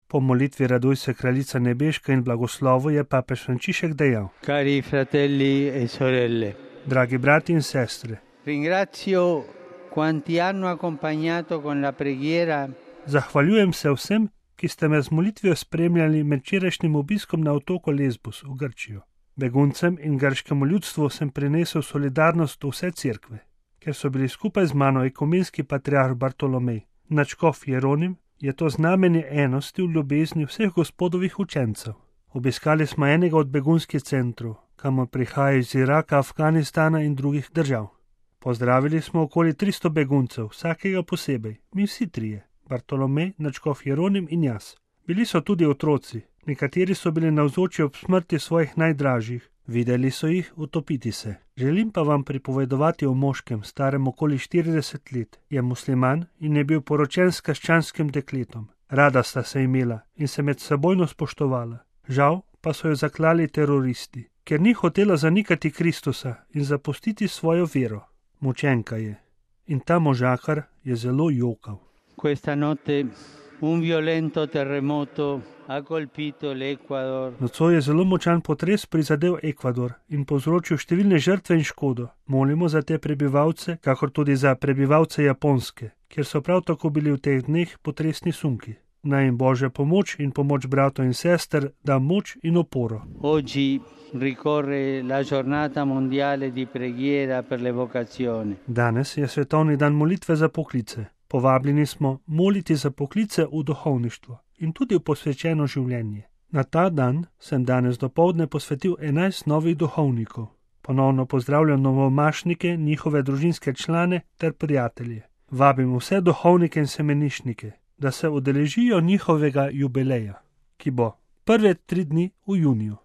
Po molitvi Raduj se, kraljica nebeška, in blagoslovu je papež Frančišek dejal: Cari fratelli e sorelle, dragi brati in sestre, ringrazio quanti hanno accompagnato con la preghiera. Zahvaljujem se vsem, ki ste me z molitvijo spremljali med včerajšnjim obiskom na otoku Lesbos v Grčijo. Beguncem in grškemu ljudstvu sem prinesel solidarnost vse cerkve, ker so bili skupaj z mano ekumenski patriarh Bartolomej, nadškof Jeronim, je to znamenje enosti v ljubezni vseh gospodovih učencev. Obiskali smo enega od begunskih centrov, kamor prihajajo iz Iraka, Afganistana in drugih držav. Pozdravili smo okoli 300 beguncev, vsakega posebej, mi vsi trije, Bartolomej, nadškof Jeronim in jaz. Bili so tudi otroci, nekateri so bili navzoči ob smrti svojih najdražjih, videli so jih utopiti se. Želim pa vam pripovedovati o moškem, starem okoli 40 let, je musliman in je bil poročen s krščanskim dekletom. Rada sta se imela in se med sebojno spoštovala. Žal pa so jo zaklali teroristi, ker ni hotela zanikati Kristusa in zapustiti svojo vero. Mučenka je. In ta možakar je zelo jokal. Questa notte un violento terremoto ha colpito l'Ecuador. Nocoj je zelo močan potres prizadel Ekvador in povzročil številne žrtve in škodo. Molimo za te prebivalce, kakor tudi za prebivalce Japonske, kjer so prav tako bili v teh dneh potresni sunki. Naj jim Božja pomoč in pomoč bratov in sester da moč in oporo. Oggi ricorre la giornata mondiale di preghiera per le vocazioni. Danes je svetovni dan molitve za poklice. Povabljeni smo moliti za poklice v duhovništvo in tudi v posvečeno življenje. Na ta dan sem danes dopoldne posvetil 11 novih duhovnikov. Ponovno pozdravljam novomašnike, njihove družinske člane ter prijatelje. Vabim vse duhovnike in semenišnike, da se udeležijo njihovega jubileja, ki bo prve 3 dni v juniju.